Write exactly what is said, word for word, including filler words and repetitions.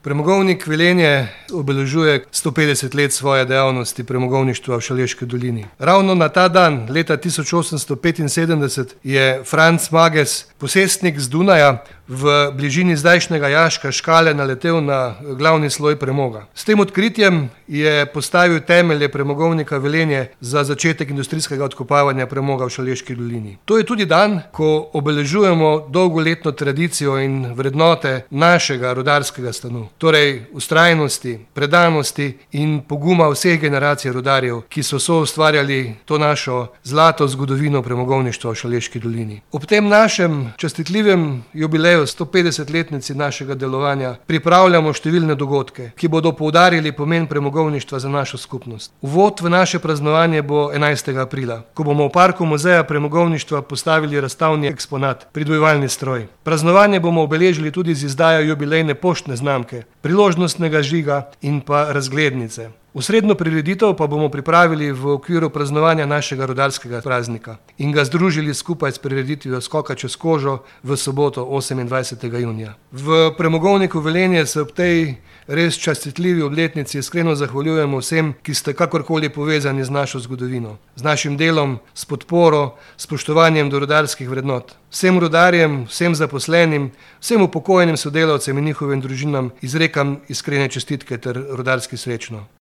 Premogovnik Velenje obeležuje sto petdeset let svoje dejavnosti premogovništva v Šaleški dolini. Ravno na ta dan, leta tisoč osemsto petinsedemdeset, je Franc Mages, posestnik z Dunaja, v bližini zdajšnjega jaška Škale naletel na glavni sloj premoga. S tem odkritjem je postavil temelje premogovnika Velenje za začetek industrijskega odkopavanja premoga v Šaleški dolini. To je tudi dan, ko obeležujemo dolgoletno tradicijo in vrednote našega rudarskega stanu. Torej vztrajnosti, predanosti in poguma vseh generacij rudarjev, ki so soustvarjali to našo zlato zgodovino premogovništva v Šaleški dolini. Ob tem našem častitljivem jubileju sto petdesetletnici našega delovanja pripravljamo številne dogodke, ki bodo poudarili pomen premogovništva za našo skupnost. Uvod v naše praznovanje bo enajstega aprila, ko bomo v parku muzeja premogovništva postavili razstavni eksponat, pridojevalni stroj. Praznovanje bomo obeležili tudi z izdajo jubilejne poštne znamke, priložnostnega žiga in pa razglednice. Osrednjo prireditev pa bomo pripravili v okviru praznovanja našega rudarskega praznika in ga združili skupaj s prireditvijo Skoka čez kožo v soboto osemindvajsetega junija. V premogovniku Velenje se ob tej res častitljivi obletnici iskreno zahvaljujemo vsem, ki ste kakorkoli povezani z našo zgodovino, z našim delom, s podporo, spoštovanjem do rudarskih vrednot. Vsem rudarjem, vsem zaposlenim, vsem upokojenim sodelavcem in njihovim družinam izrekam iskrene čestitke ter rudarski srečno.